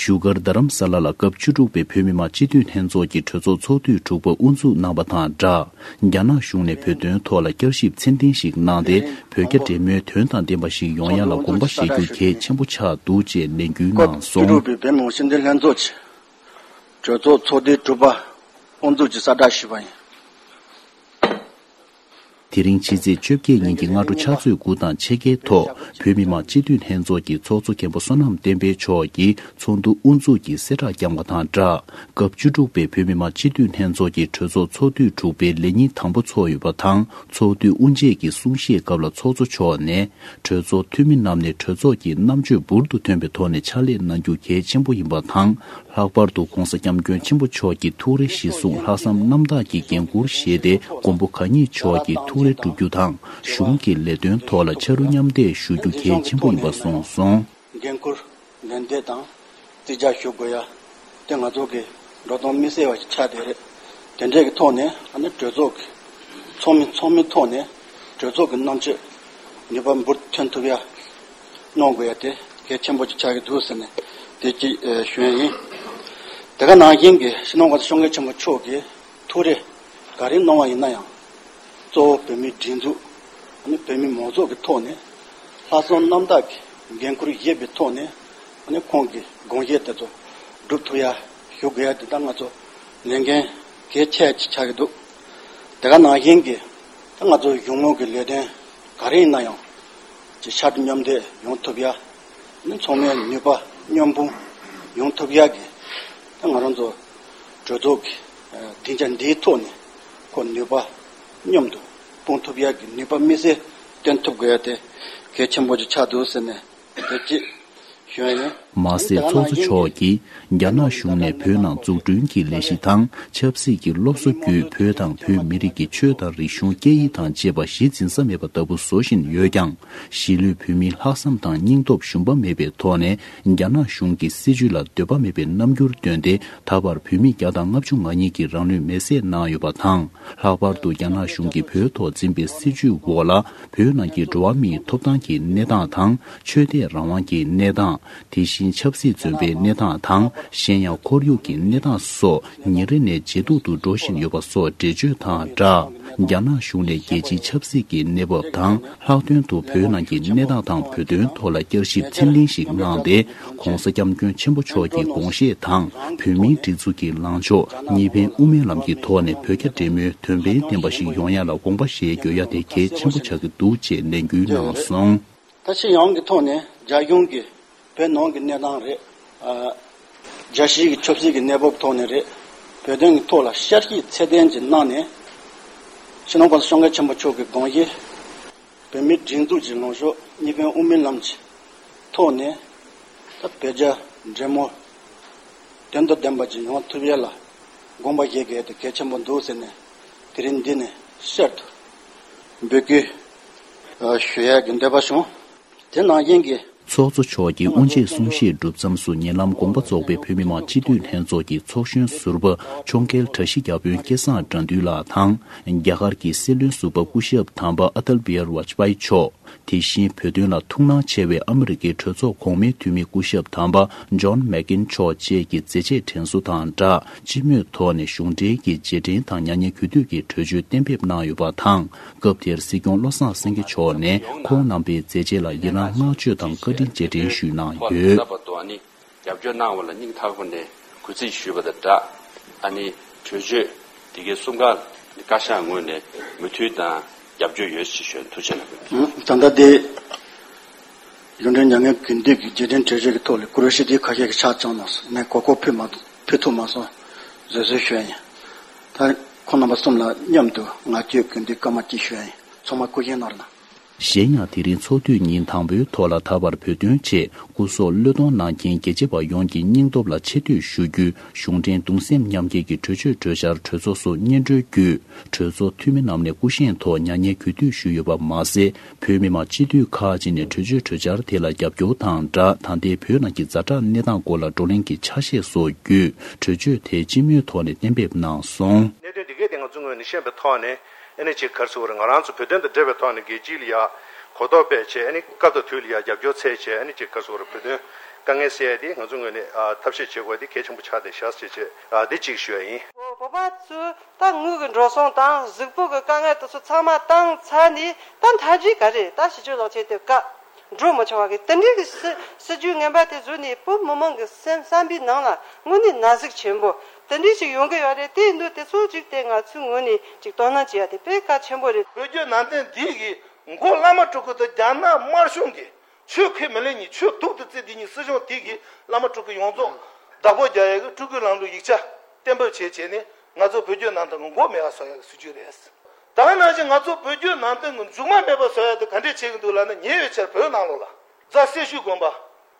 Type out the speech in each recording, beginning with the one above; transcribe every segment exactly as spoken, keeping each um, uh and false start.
བཞུགས་སྒར་རྡ་རམ་ས་ལ་ལ་སྐབས་བཅུ་དྲུག་པའི་བོད་མི་མང་སྤྱི་འཐུས་ལྷན་ཚོགས་ཀྱི་གྲོས་ཚོགས་ཚོགས་དུས་དྲུག་པ་དབུ་འཛུགས་གནང་བ་དང་སྦྲགས། རྒྱ་ནག་གཞུང་ནས་བོད་དོན་ཐོག་ལ་བསྐྱར་ཞིབ་མཚན་ལྡན་ཞིག་གནང་སྟེ། བོད་རྒྱ་འབྲེལ་མོལ་དོན་དང་ལྡན་པ་ཞིག་ཡོང་ཡ་ལ་དགོངས་པ་བཞེས་རྒྱུ་གལ་ཆེན་པོ་ཆགས་འདུག་ཅེས་ལན་སྐུལ་གནང་སོང་། སྐབས་བཅུ་དྲུག་པའི་བོད་མི་མང་སྤྱི་འཐུས་ལྷན་ཚོགས་ཀྱི་གྲོས་ཚོགས་ཚོགས་དུས་དྲུག་པ་དབུ་འཛུགས་ཀྱི་གསལ་བསྒྲགས་ཞུས་པ་ཡིན། དེ་རིང་ཕྱི་ཚེས་བཅོ་བརྒྱད་ཉིན་གྱི་སྔ་དྲོ་ཕྱག་ཚོད་དགུ་དང་ཕྱེད་ཀའི་ཐོག་བོད་མི་མང་སྤྱི་འཐུས་ལྷན་ཚོགས་ཀྱི་ཚོགས་གཙོ་མཁན་པོ་བསོད་ནམས་བསྟན་འཕེལ་མཆོག་གིས་ཚོགས་འདུ་དབུ་འཛུགས་ཀྱི་གསལ་བསྒྲགས་བསྐྱངས་པ་དང་སྦྲགས། སྐབས་བཅུ་དྲུག་པའི་བོད་མི་མང་སྤྱི་འཐུས་ལྷན་ཚོགས་ཀྱི་གྲོས་ཚོགས་ཚོགས་དུས་དྲུག་པའི་ལས་ཉིན་དང་པོ་ཚོགས་ཡོད་པ་དང་། ཚོགས་དུས་དབུ་འབྱེད་ཀྱི་གསུང་བཤད་སྐབས་ལ་ཚོགས་གཙོ་མཆོག་ནས། གྲོས་ཚོགས་འཐུས་མི་རྣམས་ནས་གྲོས་ཚོགས་ཀྱི་རྣམ་དཔྱོད་འབུར་དུ་ཐོན་པའི་ཐོག་ནས་ཕྱག་ལས་གནང་རྒྱུ་གལ་ཆེན་པོ་ཡིན་པ་དང་། ལྷག་པར་དུ་༧གོང་ས་༧སྐྱབས་མགོན་ཆེན་པོ་མཆོག་གི་ཐུགས་རེ་གཞིར་བཟུང་ལྷག་བསམ་རྣམ་དག་གིས་འགན་འཁུར་བཞེས་ཏེ། མགོན་པོ་གང་ཉིད་མཆོག་གི་ཐུགས་རེ་བསྒྲུབ་རྒྱུ་དང་། གཞུང་གི་ལས་དོན་ཐོག་ལ་ཕྱག་རུ་མཉམ་འདེགས་ཞུ་རྒྱུ་གལ་ཆེན་པོ་ཡིན་པ་གསུངས་སོང་། འགན་འཁུར་ལན་འདེབས་དང་རྩིས་རྒྱག་ཞུ་དགོས་ཡ་དེ་ང་ཚོ་གི་འགྲོ་སྟངས་དམིགས་བསལ་བ་ཞིག་ཆགས་བསྡད་རེད། དེ་འདྲས་ཀྱི་ཐོག་ནས་ཨ་ནི་གྲོས་ཚོགས་ཀྱི་ཚོགས་མི་ཚོགས་མིའི་ཐོག་ནས་གྲོས་ཚོགས་ཀྱི་རྣམ་དཔྱོད་ནུས་པ་འབུར་ཐོན་ཐུབ་ཡ་གནང་དགོས་ཡ་དེ་གལ་ཆེན་པོ་ཅིག་ཆགས་ཀྱི་འདུག་ཟེར་ནས་དེ་གཅིག་ཨེ་ཞུ་ཡ་ཡིན། དེ་ག་ནང་བཞིན་གྱི་སྤྱི་ནོར་༧གོང་ས་༧སྐྱབས་མགོན་ཆེན་པོ་མཆོག་གི་ཐུགས་རེ་ག་རེ་གནང་བ་ཡིན་ན་ཡང་། གཙོ་བོ་བོད་མིའི་སྒྲིག་འཛུགས་ཨ་ནི་བོད་མི་མང་ཚོགས་ཀྱི་ཐོག་ནས་ལྷག་བསམ་རྣམ་དག་གིས་འགན་འཁུར་བཞེས་པའི་ཐོག་ནས་ཨ་ནི་ཁོང་གི་དགོངས་བཞེད་དེ་ཚོ་སྒྲུབ་ཐུབ་ཡ་ཞུ་དགོས་ཡ་དེ་ད་ང་ཚོ་ལས་འགན་གལ་ཆེ་ཅིག་ཆགས་ཀྱི་འདུག་དེ་ག་ནང་བཞིན་གྱི་ད་ང་ཚོ་གཞུང་ལུགས་ཀྱི་ལས་དོན་ག་རེ་ཡིན་ན་ཡང་ཅིག་ཕྱར་གྲུ་མཉམ་འདེགས་ཡོང་ཐུབ་ཡ། ནི་ཚང་མའི་ནུས་པ་མཉམ་སྤུངས་ཡོང་ཐུབ་ཡག་གི་ད་ང་རང་ཚོ་གྲོས་ཚོགས་ཀྱི་སྡིངས་ཆ་འདིའི་ཐོག་ནས་ཁོ་ནུས་པ་མཉམ་དུ་སྤུངས་ཐུབ་ཡག་གི་ནུས་པ་དམིགས་བསལ་བཏོན་ཐུབ་དགོས་ཡ་དེ་གལ་ཆེན་པོ་ཅིག་ཆགས་འདུག་ཟེར་ནས་དེ་གཅིག་ཞུ་ཡ་ཡིན། མ་ཟད་ཚོགས་གཙོ་མཆོག་གིས་རྒྱ་ནག་གཞུང་ནས་བོད་ནང་འཛུགས་སྐྲུན་གྱི་ལས་གཞི་དང་ཆབ་སྲིད་ཀྱི་སློབ་གསོ་བརྒྱུད་བོད་དང་བོད་མི་རིགས་ཀྱི་ཆོས་དང་རིག་གཞུང་སྐད་ཡིག་དང་བཅས་པ་གཞི་འཛིན་ས་མེད་པ་ལྟ་བུ་བཟོ་བཞིན་ཡོད་ཀྱང་། གཞིས་ལུས་བོད་མིའི་ལྷག་བསམ་དང་སྙིང་སྟོབས་ཞུམ་པ་མེད་པའི་ཐོག་ནས་རྒྱ་ནག་གཞུང་གི་སྲིད་བྱུས་ལ་འདོད་པ་མེད་པའི་རྣམ་འགྱུར་བཏོན་ཏེ། ད་བར་བོད་མི་བརྒྱ་དང་ལྔ་བཅུ་ང་གཉིས་ཀྱིས་རང་ལུས་མེར་སྲེག་གནང་ཡོད་པ་དང་། ལྷག་པར་དུ་རྒྱ་ནག་གཞུང་གིས་བོད་ཐོག་འཛིན་པའི་སྲིད་བྱུས་འོག་ལ། བོད་ནང་གི་འགྲོ་བ་མིའི་ཐོབ་ཐང་གི་གནས་སྟངས་དང་། ཆོས་དད་རང་དབང་གི་གནས་སྟངས། དེ་བཞིན་ཆབ་སྲིད་བཙོན་པའི་གནས་སྟངས་དང་། གཞན་ཡང་ཁོར་ཡུག་གི་གནས་སྟངས་སོགས་ཉིན་རེ་ནས་ཇེ་སྡུག་ཏུ་འགྲོ་བཞིན་ཡོད་པ་སོགས་འགྲེལ་བརྗོད་དང་སྦྲགས། རྒྱ་ནག་གཞུང་ནས་རྒྱལ་སྤྱིའི་ཆབ་སྲིད་ཀྱི་གནས་བབ་དང་། ལྷག་དོན་དུ་བོད་ནང་གི་གནས་སྟངས་དང་བོད་དོན་ཐོག་ལ་བསྐྱར་ཞིབ་ཚད་ལྡན་ཞིག་གནང་སྟེ། ༸གོང་ས་༸སྐྱབས་མགོན་ཆེན་པོ་མཆོག་གི་དགོངས་བཞེད་དང་། བོད་མིའི་སྒྲིག་འཛུགས་ཀྱི་ལངས་ཕྱོགས་གཉིས་ཕན་དབུ་མའི་ལམ་གྱི་ཐོག་ནས་བོད་རྒྱ་འབྲེལ་མོལ་དོན་ཕན་ལྡན་པ་ཞིག་ཡོང་ཡ་ལ་དགོངས་པ་བཞེས་དགོས་ཡ་དེ་གལ་ཆེན་པོ་ཆགས་ཀྱི་འདུག་ཅེས་ལན་སྐུལ་གནང་སོང་། ད་སྤྱི་ཡོངས་ཀྱི་ཐོག་ནས་རྒྱ་གཞུང་གིས་བོད་ནང་གི་གནས་སྟངས་རེད། ཨ། རྒྱལ་སྤྱིའི་གི་ཆབ་སྲིད་ཀྱི་གནས་བབ་ཐོག་ནས་རེད། བོད་དོན་གྱི་ཐོག་ལ་བསྐྱར་ཞིབ་ཚད་ལྡན་ཅིག་གནང་ནས། སྤྱི་ནོར་༸གོང་ས་༸སྐྱབས་མགོན་ཆེན་པོ་མཆོག་གི་དགོངས་གཞི། བོད་མིའི་སྒྲིག་འཛུགས་ཀྱི་ལངས་ཕྱོགས་གཉིས་ཕན་དབུ་མའི་ལམ་གྱི་ཐོག་ནས། ད་བོད་རྒྱ་འབྲེལ་མོལ་དོན་དང་ལྡན་པ་ཅིག་ཡོང་ཐུབ་ཡ་ལ་དགོངས་པ་བཞེས་དགོས་དེ་གལ་ཆེན་པོ་འདུག་ཟེར་ནས་དེ་རིང་འདི་ནས་གསར་དུ་འབོད་སྐུལ་ཞུ་ཡ་གི་འདོད་པ་བྱུང་། དེ་ནང་བཞིན་གྱི། ཚོགས་གཙོ་མཆོག་གིས་དབུ་འབྱེད་གསུང་བཤད་གྲུབ་མཚམས་སུ་ཉེ་ལམ་དགོངས་པ་རྫོགས་པའི་བོད་མི་མང་སྤྱི་འཐུས་ལྷན་ཚོགས་ཀྱི་ཚོགས་གཞོན་ཟུར་པ་ཕྱོགས་འགལ་དྲག་ཤི་བརྒྱ་དཔོན་སྐལ་བཟང་དགྲ་འདུལ་ལགས་དང་། རྒྱ་གར་གྱི་སྲིད་བློན་ཟུར་པ་སྐུ་ཞབས་དམ་པ་ཨ་ཏལ་བི་ཧར་ཝཱཇ་པཱི་མཆོག་དེ་བཞིན་བོད་དོན་ལ་ཐུགས་སྣང་ཆེ་བའི་ཨ་མི་རི་ཀའི་གྲོས་ཚོགས་གོང་མའི་འཐུས་མི་སྐུ་ཞབས་དམ་པ་ཇོན་མེག་ཀིན་མཆོག་བཅས་ཀྱི་མཛད་རྗེས་དྲན་གསོ་དང་སྦྲགས། སྤྱི་མོས་ཐོག་ནས་གཞུང་འབྲེལ་གྱི་རྗེས་དྲན་དང་མྱ་ངན་གུས་འདུད་ཀྱི་གྲོས་ཆོད་གཏན་འབེབས་གནང་ཡོད་པ་དང་། སྐབས་དེར་སྲིད་སྐྱོང་བློ་བཟང་སེང་གེ་མཆོག་ནས་ཁོང་རྣམ་པའི་མཛད་རྗེས་ལ་ཡི་རང་བསྔགས་བརྗོད་དང་བཀའ་དྲིན་རྗེས་དྲན་ཞུས་གནང་ཡོད། རྒྱབ་སྐྱོར་གནང་བ་ལ་སྙིང་ཐག་པ་ནས་གུས་བརྩི་ཞུས་པ་དང་སྦྲགས། ཨ་ནི་གྲོས་ཆོད་དེ་གའི་གསུམ་ཀ་བཀའ་ཤག་ངོས་ནས་མོས་མཐུན་དང་རྒྱབ་སྐྱོར་ཡོད་ཅེས་ཞུ། ཐུགས་རྗེ་གནང་། ད་ལྟ་དེ་གཞུང་འབྲེལ་མྱ་ངན་གུས་འདུད་ཀྱི་རྗེས་དྲན་གྲོས་ཆོད་ཀྱི་ཐོག་ལ་བཀུར་འོས་ཞུ་དུས་ཁ་ཤས་ཀྱི་ཕྱག་བརྐྱངས་གནང་སོང་། ངས་གོ་སྐབས་ཕུལ་མ་ཐུབ། ཕུལ་ཐུབ་མ་སོང་། བཟོད་གསོལ་ཞུ་ཡ་ཡིན། ད་ཁོང་རྣམ་པ་གསུམ་ལ་མཉམ་དུ་ངག་བཅད་གུས་འདུད་སྐར་མ་གཅིག་ཞུ་ཡ་ཡིན། ཚང་མ་སྐུ་བཞེངས་གནང་རོགས་གནང་། གཞན་ཡང་དེ་རིང་ཚོགས་དུས་ཉིན་དང་པོའི་ཐོག་ལ་ད་བར་བོད་དོན་ཆེད་སྐུ་སྲོག་བློས་གཏོང་གནང་མཁན་རྒྱལ་གཅེས་པ་ཡོངས་ཀྱི་སྙིང་སྟོབས་ལ་ཆེ་བསྟོད་ཞུ་རྒྱུའི་གཞུང་འབྲེལ་གདུང་སེམས་མཉམ་སྐྱེད་ཀྱི་གྲོས་ཆོད་གྲོས་འཆར་གྲོས་ཚོགས་སུ་སྙན་སྒྲོན་བརྒྱུད། གྲོས་ཚོགས་འཐུས་མི་རྣམས་ནས་སྐུ་བཞེངས་ཐོག་མྱ་ངན་གུས་འདུད་ཞུས་ཡོད་པ་མ་ཟད། བོད་མི་མང་སྤྱི་འཐུས་ཁག་ཅིག་ནས་གྲོས་ཆོད་གྲོས་འཆར་དེ་ལ་རྒྱབ་སྐྱོར་དང་སྦྲགས། ད་ལྟའི་བོད་ནང་གི་ཛ་དྲག་གནས་སྟངས་སྐོར་ལ་བགྲོ་གླེང་གི་ཆ་ཤས་སོགས་བརྒྱུད། གྲོས་ཆོད་དེ་སྤྱི་མོས་ཐོག་ནས་གཏན་འབེབས་གནང་སོང་། གནད་དོན་འདི་གའི་སྟེང་ང་ཚོ་ངོས་ནས་ཤེས་པའི་ཐོག་ནས་ཨ་ནི་ཅིག་ག་རེ་ཟེར་དགོས་རེད། ང་རང་ཚོ་བོད་དོན་དང་འབྲེལ་བའི་ཐོག་ནས་རྒྱལ་སྤྱི་ལ་ཡ་གོ་རྟོགས་སྤེལ་བྱས། ཨ་ནི་སྐབས་དང་དུས་ལ་ཡ་རྒྱབ་སྐྱོར་འཚོལ་བྱས། ཨ་ནི་ཅིག་ག་རེ་ཟེར་དགོས་རེད། བོད་དོན་ དཀའ་ངལ་སེལ་ཡ་དེ་ང་ཚོ་ངོས་ནས་ཨ་ཐབས་ཤེས་བྱེད་དགོས་དེ་གལ་ཆེན་པོ་ཆགས་བསྡད་ཤག་ཅེས་བྱས་ཨ་དེ་གཅིག་ཞུ་ཡ་ཡིན། བོད་པ་ཚོས་ད་དངུལ་གྱི་འགྲོ་སོང་དང་གཟུགས་པོ་གི་དཀའ་ངལ་དེ་ཚོ་ཚང་མ་བཏང་ཚར་ནས་ད་མཐའ་མཇུག་ག་རེ་ད་ཕྱི་ཕྱོགས་ལོག་ཆེད་དུ་བཀག་འགྲོ་མི་ཆོག་པ་གི་དེ་འདྲའི་གི་སྲི་སྲིད་ཇུས་ངན་པ་དེ་བཟོས་ནས་བོད་མི་མང་གི་སེམས་བསམ་པའི་ནང་ལ་དངོས་གནས་ན་ཟུག་ཆེན་པོ་དེ་འདྲའི་ཞིག་ཡོང་གི་ཡོད་རེད། དེ་ཡིན་དུས་དེ་ཚོ་ཅིག་དེ་ང་ཚོའི་ངོས་ནས་ཅིག་དོ་སྣང་བྱེད་ཡ་དེ་དཔེ་གལ་ཆེན་པོ་རེད། བོད་བརྒྱུད་ནང་བསྟན་འདི་གི་མགོ་བླ་མ་སྤྲུལ་སྐུ་དང་རྒྱ་ནག་དམར་གཞུང་གི་ཆོས་ཁས་མི་ལེན་ནས་ཆོས་སྡུག་ཏུ་བརྩི་དེ་ཉིད་སྲིད་གཞུང་དེ་གིས་བླ་མ་སྤྲུལ་སྐུ་ཡོངས་རྫོགས་བདག་པོ་རྒྱག་ཡ་གི་སྤྲུལ་སྐུའི་ལམ་ལུགས་ཡིག་ཆ་གཏན་འབེབས་བྱས་བྱས་ནས་ང་ཚོ་བོད་བརྒྱུད་ནང་བསྟན་གྱི་མགོ་མེད་པ་བཟོ་ཡ་གི་སྲིད་ཇུས་རེད། ད་ག་ནང་བཞིན་ང་ཚོ་བོད་བརྒྱུད་ནང་བསྟན་གྱི་མཇུག་མ་མེད་པ་བཟོ་ཡ་དེ་ག་འདྲས་བྱེད་ཀྱི་འདུག་ལབ་ན། ཉེ་བའི་ཆར་བོད་ནང་ལོགས་ལ་རྫ་སེར་ཤུལ་དགོན་པ་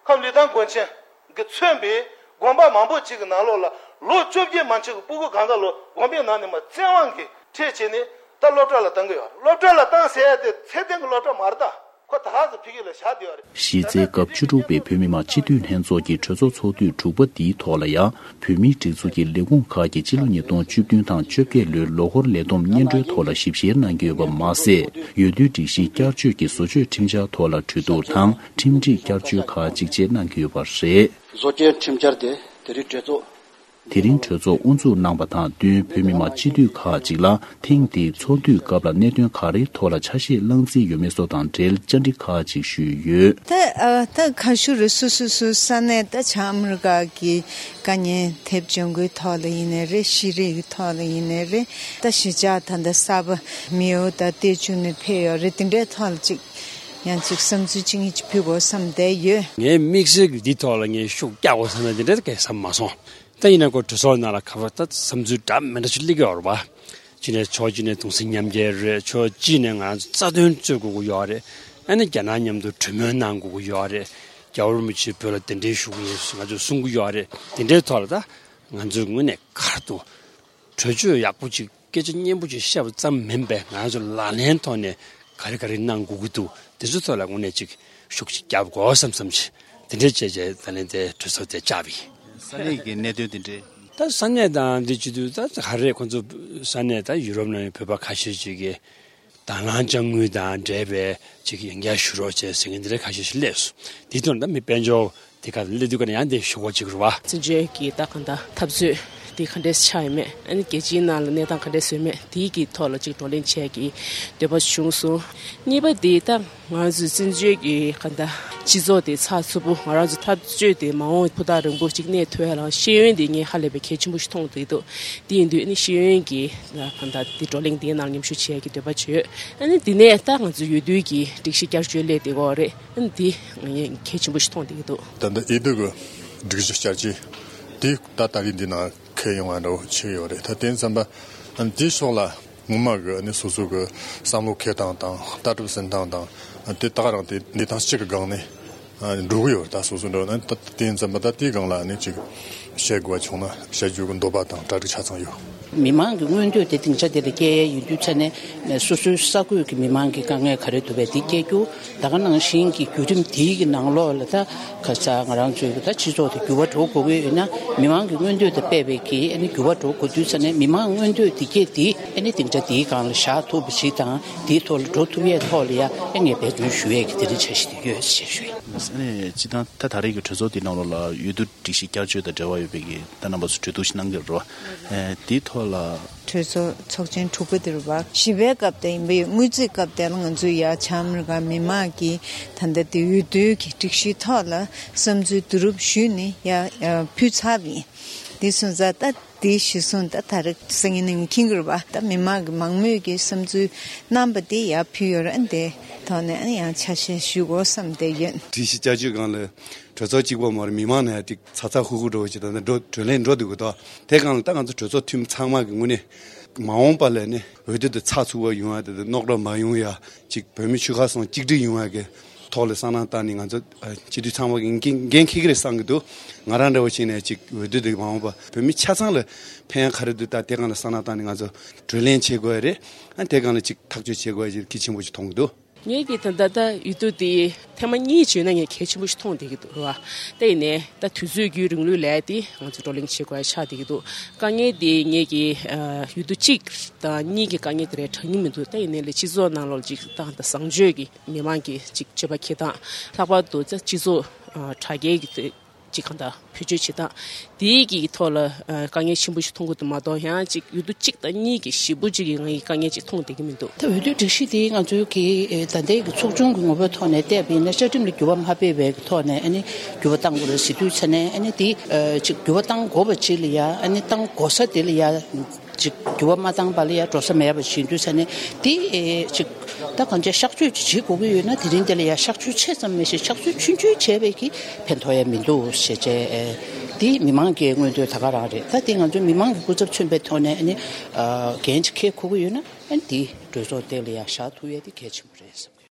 ཁམས་ལི་ཐང་དགོན་ཆེན་གྱིས་མཚོན་པའི་དགོན་པ་མང་པོ་ཅིག་གི་ནང་ལོགས་ལ་ལོ་བཅོ་བརྒྱད་མན་ཆད་ཀྱི་སྤུ་གུ་གང་ག་ལོ་དགོན་པའི་ནང་ནས་མར་བཙན་དབང་གིས་ཁྲིད་བྱས་ནས་ད་སློབ་གྲྭ་ལ་བཏང་གི་ཡོད་རེད། སློབ་གྲྭ་ལ་བཏང་ཟེར་ཡ་དེ་ཚད་ལྡན་གྱི་སློབ་གྲྭ་མ་རེད་ད། ཁོ་ད་ག་ཚོད་ཕ་གི་ལ་བཞག་བསྡད་ཡོད་རེད། གཞི་རྩའི་སྐབས་བཅུ་དྲུག་པའི་བོད་མི་མང་སྤྱི་འཐུས་ལྷན་ཚོགས་ཀྱི་གྲོས་ཚོགས་ཚོགས་དུས་དྲུག་པ་འདིའི་ཐོག་ལ་ཡང་བོད་མིའི་སྒྲིག་འཛུགས་ཀྱི་ལས་ཁུངས་ཁག་གིས་སྤྱི་ལོ་ཉིས་སྟོང་བཅུ་བདུན་དང་བཅོ་བརྒྱད་ལོའི་ལོ་འཁོར་ལས་བསྡོམས་སྙན་སྒྲོན་ཐོག་ལ་ཞིབ་བཤེར་གནང་གི་ཡོད་པ་མ་ཟད། འོས་བསྡུའི་སྒྲིག་གཞི་བསྐྱར་བཅོས་ཀྱི་བཟོ་བཅོས་ཁྲིམས་འཆར་ཐོག་ལ་གྲོས་བསྡུར་དང་ཁྲིམས་སྒྲིག་བསྐྱར་བཅོས་ཁག་ཅིག་བཅས་གནང་གི་ཡོད་པ་རེད། བཟོ་བཅོས་ཁྲིམས་འཆར་དེ་དེ་རིང་གྲོས་ཚོགས། དེ་རིང་གྲོས་ཚོགས་དབུ་འཛུགས་གནང་པ་དང་བསྟུན། བོད་མི་མང་སྤྱི་འཐུས་ཁག་ཅིག་ལ་ཐེངས་འདིའི་ཚོགས་དུས་སྐབས་ལ་གནད་དོན་ག་རེའི་ཐོག་ལ་ཆ་ཤས་བླངས་རྩིས་ཡོད་མེད་སོགས་དང་འབྲེལ་བཅར་འདྲི་ཁག་ཅིག་ཞུས་ཡོད། ད་ཨ་ད་ཁ་ཤུ་རེ་སོ་སོ་སོའི་ས་གནས་ད་བྱང་ཨ་མི་རི་ཀ་གི་དཀའ་ཉེན་ཐེབས་བྱུང་གི་ཐོག་ལ་ཡིན་ནའི་རེད། ཤེས་རིག་གི་ཐོག་ལ་ཡིན་ནའི་རེད། ད་གཞིས་ཆགས་ད་ད་གསར་པ་མེའོ་ད་ཏེ་ཅུ་ནས་ཕེབས་ཡོད་རེད། དེ་འདྲའི་ཐོག་ལ་ཅིག་ཡང་ཅིག་བསམ་ཚུལ་ཅིག་ངེད་ཀྱིས་ཕུལ་དགོས་བསམ་བསྡད་ཡོད། ངའི་དམིགས་བསལ་གྱི་འདི་ཐོག་ལ་ངས་ཤུགས་རྒྱག་དགོས་བསམ་ན་འདི་འདྲ་གས་བསམ་མ་སོང་། ད་ཡིན་ན་ཁོ་གྲོས་ཚོགས་ནང་ལ་ག་པར་ད་བསམ་ཚུལ་འདྲ་མི་འདྲ་ཅིག་སླེབས་ཀྱི་ཡོད་རེད་པ། གཅིག་ནས་ཕྱོགས་གཅིག་ནས་གདུང་སེམས་མཉམ་སྐྱེད་རེད། ཕྱོགས་གཅིག་ནས་ང་ཚོ་རྩ་དོན་རྩོད་དགོས་ཀྱི་ཡོད་རེད། ཨ་ནི་རྒྱ་ནག་མཉམ་དུ་གྲོས་མོལ་གནང་དགོས་ཀྱི་ཡོད་རེད། རྒྱལ་བ་རིན་པོ་ཆེའི་བོད་ལ་གདན་འདྲེན་ཞུ་གི་ཡིན་ང་ཚོས་གསུང་གི་ཡོད་རེད། དེ་འདྲའི་ཐོག་ལ་ད་ང་ཚོའི་ངོས་ནས་ག་རེ་འདུག་གྲོས་ཆོད་ཡག་པོ་ཅིག་སྐད་ཆ་སྙན་པོ་ཅིག་བཤད་པ་ཙམ་མིན་པའི་ང་ཚོ་ལག་ལེན་ཐོག་ནས་ག་རེ་ག་རེ་གནང་དགོས་ཀྱི་འདུག་དེ་ཚོ་ཐོག་ལ་དངོས་གནས་ཅིག་ཤུགས་ཅིག་རྒྱབ་དགོས་བསམ་བསམ་ཅིག་དེ་འདྲའི་བྱས་བྱས་ད་ལན་དེ་གྲོས་ཚོགས་དེ་བཅར་བ་ཡིན། ས་གནས་ཀྱི་གནད་དོན་དེ་འདྲའི། ད་ས་གནས་དང་འདི་བྱེད་དུས་ད་ག་རེ་ཁོ་ཚོ་ས་གནས་ད་ཡུ་རོབ་ནང་བོད་པ་ཁ་ཤས་ཅིག་གིས་དང་བླངས་དཔྱ་དངུལ་དང་འབྲེལ་བའི་ཅིག་ཡང་བསྐྱར་ཞུ་རོགས་བྱས་ཟེར་མཁན་འདི་འདྲ་ཁ་ཤས་ཤིག་སླེབས་སོང་། དེ་དོན་ད་མི་དཔལ་འབྱོར། དེ་ག་ལ་སླེབས་དུས་ཀ་ནས་ཡང་དེ་ཞུ་སྒོ་གཅིག་རུ་བ། བཙན་བྱོལ་གྱི་ད་གང་ལྟར་འཐབ་རྩོད་དེ་ག་འདྲས་ཆགས་ཡོད་མེད། ཨ་ནི་རྒྱལ་སྤྱིའི་ནང་ལ་གནས་སྟངས་ག་འདྲས་བཟོས་མེད་དེའི་གི་ཐོག་ལ་ཅིག་བགྲོ་གླེང་བྱས་ཀྱི་འདོད་པ་བྱུང་སོང་། གཉིས་པ་དེ་ད་ང་ཚོའི་བཙན་བྱོལ་གྱི་གང་ལྟར་སྤྱི་ཚོགས་དེ་ཚགས་ཚུད་པོ་ང་རང་ཚོ་འཐབ་རྩོད་དེ་མ་འོངས་ཕུ་ཐག་རིང་པོ་ཅིག་གནས་ཐུབ་ཡ་ལ་ཤེས་ཡོན་དེ་ངས་ཧ་ལས་པའི་གལ་ཆེན་པོ་ཞིག་མཐོང་བསྡད་འདུག་དེ་ཡིན་དུས་ཨ་ནི་ཤེས་ཡོན་གྱི་གང་ལྟར་དེ་བགྲོ་གླེང་དེའི་ནང་མཉམ་ཞུགས་བྱས་ཀྱི་འདོད་པ་བྱོས། ཨ་ནི་དེ་ནས་ད་ང་ཚོའི་འོས་བསྡུ་གི་སྒྲིག་གཞི་བསྐྱར་བཅོས་སླེབས་བསྡད་ཀྱི་ཡོད་རེད། ཨ་ནི་དེ་ངས་གལ་ཆེན་པོ་ཞིག་མཐོང་བསྡད་ཀྱི་འདུག་ད་ལྟ་འོས་བསྡུ་གི་སྒྲིག་གཞི་བསྐྱར་བཅོས་དེ་ད་ད་རེས་འདི་ནང་འཁེལ་ཡོང་བ་འདྲ་བོ་ཆགས་ཡོད་རེད། ད་དེ་ཙམ་པ་ཨ་ནི་དེའི་ཕྱོགས་ལ་ངོ་མ་གི་ཨ་ནི་སོ་སོ་གི་བསམ་བློ་འཁྱེར་སྟངས་དང་ལྟ་གྲུབ་འཛིན་སྟངས་དང་དེ་ད་ག་རང་དེ་གནས་སྟངས་གཅིག་གི་སྒང་ནས་འགྲོ་གི་ཡོད་རེད། ད་སོ་སོ་འགྲོ་ན་ད་དེ་ཙམ་པ་ད་དེའི་སྒང་ལ་ཨ་ནི་ཅིག་བཤད་དགོས་པ་བྱུང་ན་བཤད་རྒྱུ་གི་འདོད་པ་དང་གྲ་སྒྲིག་ཆ་ཚང་ཡོད། མི་མང་གི་མངོན་འདོད་དེ་སྡིངས་ཆ་དེ་ལ་སྐྱེལ་ཡས་ཡིན་དུས་ཙ་ནས་སོ་སོའི་ས་ཁུལ་གྱི་མི་མང་གི་དཀའ་ངལ་ག་རེ་འདུག་པས་དེ་སྐྱེལ་རྒྱུ། ད་ག་ནང་བཞིན་གྱི་བརྒྱུད་རིམ་དེའི་གི་ནང་ལོགས་ལ་ད་ཁ་ས་ང་རང་ཚོའི་གི་ད་སྤྱི་ཚོགས་དེ་འགྱུར་བ་འགྲོ་དགོས་ཀྱི་ཡོད་ན་མི་མང་གི་མངོན་འདོད་དང་འབད་པའི་གི་ཨ་ནི་འགྱུར་བ་འགྲོ་དགོས་དུས་ཙ་ནས་མི་མང་མངོན་འདོད་དེ་སྐྱེལ་དེ་ཨ་ནི་སྡིངས་ཆ་དེའི་སྒང་ལ་བཞག་ཐུབ་པ་ཞིག་དང་དེའི་ཐོག་ལ་འགྲོ་ཐུབ་ཡས་ཐོག་ལ་ཡ་ཨ་ངས་འབད་བརྩོན་ཞུ་ཡས་ཀྱི་དེ་རིང་འཆར་གཞི་དེ་ཡོད་ཅེས་ཞུ་ཡས། ཨ་ནི་སྤྱི་བཏང་ད་ད་རེས་ཀྱི་གྲོས་ཚོགས་དེའི་ནང་ལོགས་ལ་འོས་བསྡུ་སྒྲིག་གཞི་བསྐྱར་བཅོས་དང་འབྲེལ་བ་ཡོད་པའི་གི་ད་རྣམ་པ་ཚོ་གྲོས་བསྡུར་ཞིག་གནང་གི་རེད་བ། ཨེ་དེའི་ཐོག་ལ། གྲོས་ཚོགས་ཚོགས་ཆེན་དྲུག་པ་དེ་རེད་བ། བཞི་པའི་སྐབས་དེ་ཡིན་པ་ཡོད། དངུལ་རྩིས་སྐབས་དེ་ལ་ང་ཚོས་ཡ་བྱང་ཨ་མི་རི་ཀ་མི་མང་གི་ད་ལྟ་དེ་འོས་བསྡུའི་གི་སྒྲིག་གཞིའི་ཐོག་ལ་བསམ་ཚུལ་བསྡུ་རུབ་ཞུས་ནས་ཡ་ཡ་ཕུལ་ཚར་བ་ཡིན། དེ་སོང་ཙང་ད་དེ་གཞི་བཟུང་ད་ད་རེས་སང་ཉིན་ནས་ངས་མཁྱེན་གི་རེད་བ། ད་མི་མང་གི་མང་མོས་ཀྱི་བསམ་ཚུལ་གནང་པ་དེ་ཡ་ཕུལ་ཡོད་རེད། ཨ་ནི་དེ་ཐོག་ནས་ཨ་ནི་ཡང་ཆ་ཤས་ཞུ་དགོས་བསམ་བསྡད་ཡོད། སྒྲིག་གཞི་བསྐྱར་བཅོས་སྒང་ལ། གྲོས་ཚོགས་གཅིག་པོ་མ་རེད། མི་མང་ནས་ཡང་ཅིག་ཚ་ཚ་ཧུ་ཧུ་འགྲོ་བ་ཅིག་ད་ལྟ་འགྲོ་གྲོས་གླེང་འགྲོ་འདུག་གི་འདུག་དེ་སྒང་ལ་ད་ང་ཚོ་གྲོས་ཚོགས་འཐུས་མི་ཚང་མ་གི་ངོས་ནས་མ་འོངས་པ་ལ་ནི་འོས་བསྡུ་དེ་ཚགས་ཚུད་པ་ཡོང་ཡ་དེ་རྣོ་རོག་མ་ཡོང་ཡ་ཅིག་བོད་མི་ཆོལ་ཁ་གསུམ་གཅིག་སྒྲིལ་ཡོང་ཡ་གི་ཐོག་ལ་བསམ་བློ་བཏང་ནས་ང་ཚོ་སྤྱི་འཐུས་ཚང་མ་གི་འགན་འགན་འཁྱེར་གི་རེད་བསམ་གི་འདུག་ང་རང་འདྲ་བོ་ཞིག་ནས་ཅིག་འོས་བསྡུ་དེ་མ་འོངས་པ་བོད་མི་ཆ་ཚང་ལ་ཕན་ཡ་ག་རེ་འདུག་ད་དེ་སྒང་ལ་བསམ་བློ་བཏང་ནས་ང་ཚོ་གྲོས་གླེང་བྱེད་དགོས་ཡ་རེད། ཨ་དེ་སྒང་ལ་ཅིག་ཐག་གཅོད་བྱེད་དགོས་ཡ་ཅིག་གལ་ཆེན་པོ་ཅིག་མཐོང་གི་འདུག་ངས་ཀྱི་ད་ལྟ་ད་འོས་བསྡུ་དེ་ཐེངས་མ་གཉིས་བྱས་ན་ངས་གལ་ཆེན་པོ་ཞིག་མཐོང་བསྡད་ཀྱི་འདུག་རེད་བ། ད་ཡིན་ནའི་ད་དུས་ཚོད་བརྒྱུད་རིང་ལུགས་ལས་དེ་ང་ཚོ་བགྲོ་གླེང་བྱེད་དགོས་ཡ་ཆགས་བསྡད་ཀྱི་འདུག་དཀའ་ངལ་དེ་ངས་ཀྱི་འོས་བསྡུ་གཅིག་དང་གཉིས་ཀྱི་དཀའ་ངལ་དེ་རེད་དྲན་གྱི་མི་འདུག་ད་ཡིན་ནའི་ལས་སྤྱི་ཚོགས་ནང་ལོགས་ཅིག་ཏང་དང་བཟང་སྤྱོད་ཀྱི་མི་མང་གི་ཅིག་སྤྱོད་པ་འཁྱེར་སྟངས། ལྷག་པར་དུ་ད་སྤྱི་ཚོགས་དྲ་རྒྱའི་གི་ཅིག་གང་ལྟར་བེད་སྤྱོད་བྱེད་སྟངས་དེའི་གི་ཐོག་ལ་དཀའ་ངལ་ཆེན་པོ་ཞིག་མཐོང་གི་འདུག་མ་གཏོགས་ཡང་ཅིག་འོས་བསྡུ་གཅིག་དང་གཉིས་ཀྱི་ཞེ་པོ་ཅིག་གི་ང་ཡི་དཀའ་ངལ་ཅིག་མཐོང་བསྡད་ཀྱི་མི་འདུག་ད་འོས་བསྡུ་སྒྲིག་གཞི་དེ་ང་ཚོའི་གི་ད་ལྟའི་གི་ཚོགས་ཆུང་གི་ངོ་བོའི་ཐོག་ནས་བལྟས་པ་ཡིན་ན་བཅའ་ཁྲིམས་ལ་འགྱུར་བ་མ་ཕེབས་པའི་གི་ཐོག་ནས་ཨ་ནི་འགྱུར་བ་གཏང་དགོས་རེད་ཟེར་དུས་ཙ་ནས་ཨ་ནི་དེ་ཅིག་འགྱུར་བ་གཏང་དགོས་པ་ཅིག་ལ་ཡ་ཨ་ནི་གཏང་དགོས་ས་དེ་ལ་ཡ། ཅིག་འགྱུར་བ་མ་བཏང་པ་ལ་ཡ་འགྲོ་ས་མེད་པ་བྱེད་དུས་ས་ནས་དེ་ཨེ་ཅིག་ད་གང་ཅི་གཤག་བཅོས་ཅིག་བྱེད་དགོས་ཀྱི་ཡོད་ན་དེ་རིང་དེ་ལ་ཡ་གཤག་བཅོས་ཆེ་ཙམ་མེད་ཞིང་གཤག་བཅོས་ཆུང་ཆུང་བྱས་པས་ཀྱི་ཕན་ཐོགས་ཡ་མི་འདུག་ཞེས་བྱས་ཨེ་དེ་མི་མང་གི་མངོན་འདོད་ད་ག་རང་རེད། ད་དེ་ང་ཚོ་མི་མང་གི་སྐུ་ཚབ་མཚོན་པའི་ཐོག་ནས་ཨ་ནི་འགན་ཅིག་འཁྱེར་དགོས་ཀྱི་ཡོད་ན་ཨ་ནི་དེ་གྲོས་ཚོགས་དེ་ལ་ཡ་བཞག་ཐུབ་ཡ་དེ་གལ་ཆེན་པོ་རེད་བསམ་གི།